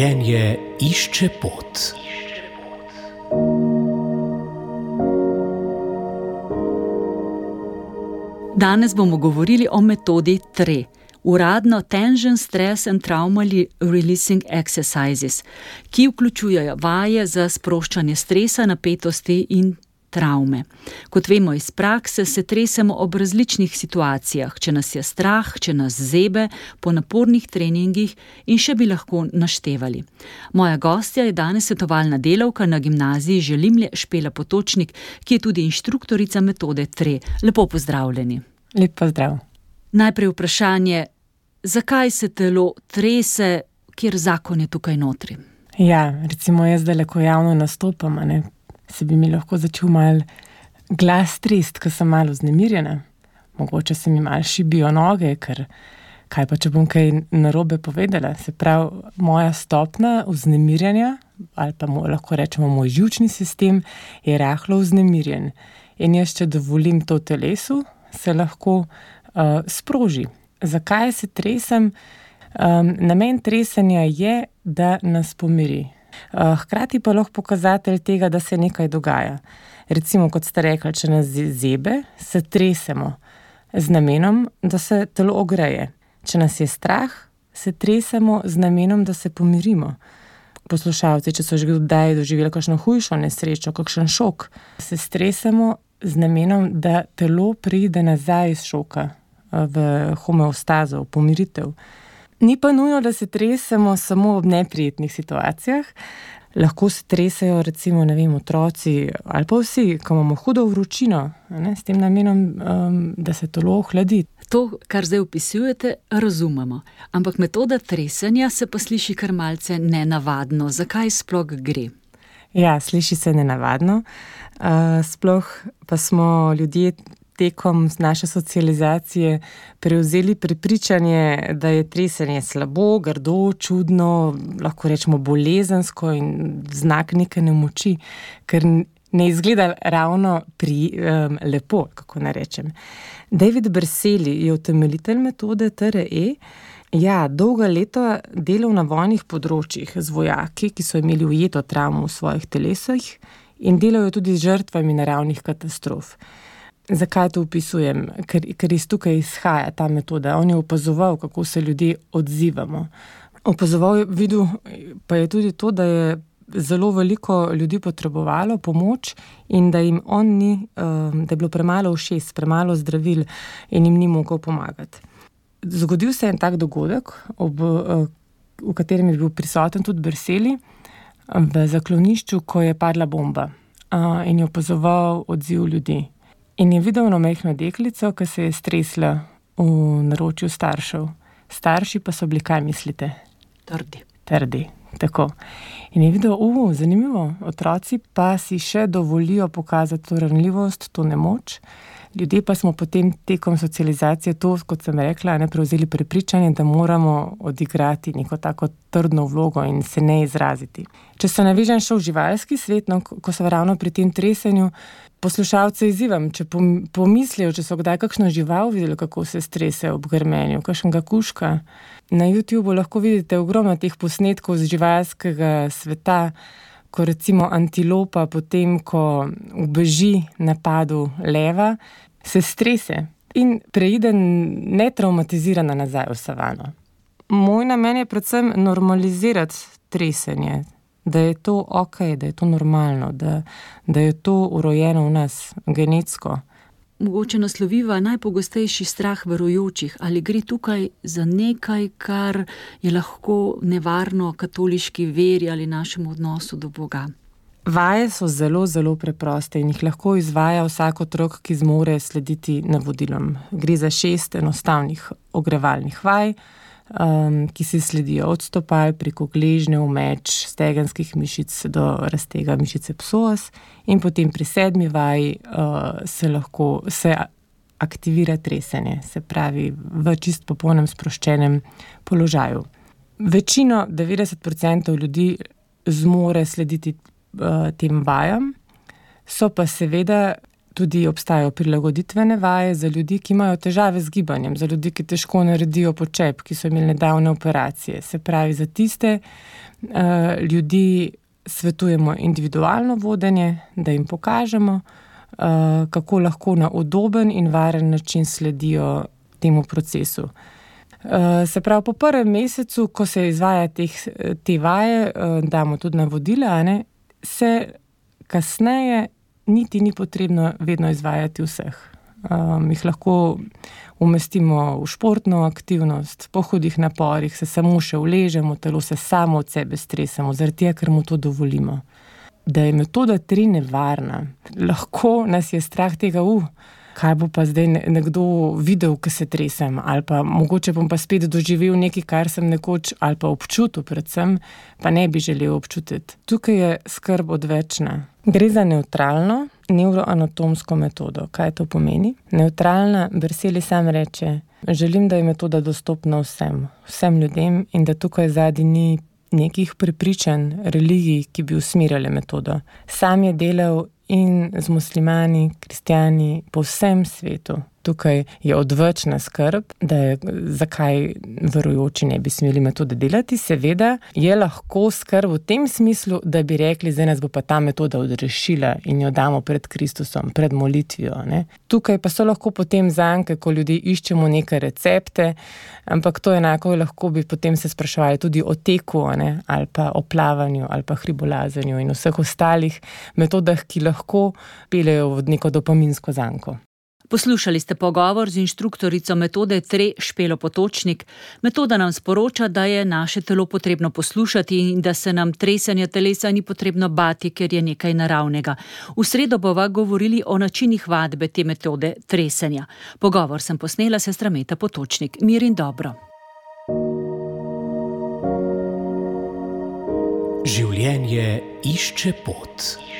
Življenje išče pot. Danes bomo govorili o metodi TRE, uradno Tension, Stress and Trauma Releasing Exercises, ki vključujejo vaje za sproščanje stresa, napetosti in travme. Kot vemo iz prakse, se tresemo ob različnih situacijah, če nas je strah, če nas zebe, po napornih treningih in še bi lahko naštevali. Moja gostja je danes svetovalna delavka na gimnaziji Želimlje Špela Potočnik, ki je tudi inštruktorica metode TRE. Lepo pozdravljeni. Lep pozdrav. Najprej vprašanje, zakaj se telo trese, kjer zakon je tukaj notri? Ja, recimo jaz zdaj, ko javno nastopam, se bi mi lahko začel malo glas trest, ko sem malo vznemirjena. Mogoče se mi malo šibijo noge, ker kaj pa, če bom kaj narobe povedala. Se pravi, moja stopnja vznemirjanja, ali pa lahko rečemo moj živčni sistem, je rahlo vznemirjen. In jaz, če dovolim to telesu, se lahko sproži. Zakaj se tresem? Namen tresenja je, da nas pomiri. Hkrati pa lahko pokazatelj tega, da se nekaj dogaja. Recimo, kot ste rekli, če nas zebe, se tresemo z namenom, da se telo ogreje. Če nas je strah, se tresemo z namenom, da se pomirimo. Poslušalci, če so že kdaj doživeli kakšno hujšo nesrečo, kakšen šok, se stresemo z namenom, da telo pride nazaj iz šoka v homeostazo, v pomiritev. Ni pa nujno, da se tresemo samo ob neprijetnih situacijah. Lahko se tresejo recimo, otroci ali pa vsi, ko imamo hudo vročino, s tem namenom, da se telo ohladi. To, kar zdaj opisujete, razumemo. Ampak metoda tresenja se pa sliši kar malce nenavadno. Zakaj sploh gre? Ja, sliši se nenavadno. Sploh pa smo ljudje tekom naše socializacije prevzeli prepričanje, da je tresenje slabo, grdo, čudno, lahko rečemo bolezensko in znak neke nemoči, ker ne izgleda ravno lepo, kako naj rečem. David Berceli je utemeljitelj metode TRE. Ja, dolga leta delal na vojnih področjih z vojaki, ki so imeli ujeto travmo v svojih telesih in delajo tudi z žrtvami naravnih katastrof. Zakaj to opisujem? Ker iz tukaj izhaja ta metoda. On je opazoval, kako se ljudje odzivamo. Opazoval, videl pa je tudi to, da je zelo veliko ljudi potrebovalo pomoč in da jim on ni, da je bilo premalo ušes, premalo zdravil in jim ni mogel pomagati. Zgodil se je en tak dogodek, v katerem je bil prisoten tudi Berceli, v zaklonišču, ko je padla bomba in je opazoval odziv ljudi. In je videl eno majhno deklico, ki se je stresla v naročju staršev. Starši pa so bili, kaj mislite? Trdi, tako. In je videl, zanimivo, otroci pa si še dovolijo pokazati to ranljivost, to nemoč. Ljudje pa smo potem tekom socializacije to, kot sem rekla, prevzeli prepričanje, da moramo odigrati neko tako trdno vlogo in se ne izraziti. Če se navežem še v živalski svet, ko so ravno pri tem tresenju, poslušalce izzivam, če pomislijo, če so kdaj kakšno žival videli, kako se strese ob grmenju, kakšnega kužka. Na YouTubeu lahko vidite ogromno teh posnetkov z živalskega sveta, ko recimo antilopa potem, ko ubeži napadu leva, se strese in preide netraumatizirana nazaj v savano. Moj namen je predvsem normalizirati tresenje, da je to okej, da je to normalno, da je to urojeno v nas, genetsko. Mogoče nasloviva najpogostejši strah verujočih. Ali gre tukaj za nekaj, kar je lahko nevarno katoliški veri ali našemu odnosu do Boga? Vaje so zelo, zelo preproste in jih lahko izvaja vsak otrok, ki zmore slediti navodilom. Gre za 6 enostavnih ogrevalnih vaj, ki se sledijo od stopal preko gležnjev, meč, stegenskih mišic do raztega mišice psoas in potem pri 7. vaji se aktivira tresenje, se pravi v čist popolnem sproščenem položaju. Večino, 90% ljudi zmore slediti tem vajam, so pa seveda tudi obstajajo prilagoditvene vaje za ljudi, ki imajo težave z gibanjem, za ljudi, ki težko naredijo počep, ki so imeli nedavne operacije. Se pravi, za tiste ljudi svetujemo individualno vodenje, da jim pokažemo, kako lahko na udoben in varen način sledijo temu procesu. Se pravi, po prvem mesecu, ko se izvaja te vaje, damo tudi navodila, se kasneje niti ni potrebno vedno izvajati vseh. Jih lahko umestimo v športno aktivnost, po hudih naporih se samo še uležemo, telo se samo od sebe stresamo, zaradi tega, ker mu to dovolimo. Da je metoda 3 nevarna. Lahko nas je strah tega, kaj bo pa zdaj nekdo videl, ko se tresem, ali pa mogoče bom pa spet doživel nekaj, kar sem nekoč, ali pa občutil predvsem, pa ne bi želel občutiti. Tukaj je skrb odvečna. Gre za nevtralno nevroanatomsko metodo. Kaj to pomeni? Nevtralna, Berseli sam reče, želim, da je metoda dostopna vsem ljudem in da tukaj zadaj ni nekih prepričanj, religij, ki bi usmirjale metodo. Sam je delal in z muslimani, kristjani po vsem svetu. Tukaj je odvečna skrb, da je, zakaj verujoči ne bi smeli metode delati. Seveda je lahko skrb v tem smislu, da bi rekli, zdaj nas bo pa ta metoda odrešila in jo damo pred Kristusom, pred molitvijo. Tukaj pa so lahko potem zanke, ko ljudje iščemo neke recepte, ampak to enako lahko bi potem se spraševali tudi o teku, ali pa o plavanju, ali pa hribolazenju in vseh ostalih metodah, ki lahko peljejo v neko dopaminsko zanko. Poslušali ste pogovor z inštruktorico metode 3 Špelo Potočnik. Metoda nam sporoča, da je naše telo potrebno poslušati in da se nam tresenja telesa ni potrebno bati, ker je nekaj naravnega. V sredo bova govorili o načinih vadbe te metode tresenja. Pogovor sem posnela sestra Meta Potočnik. Mir in dobro. Življenje išče pot.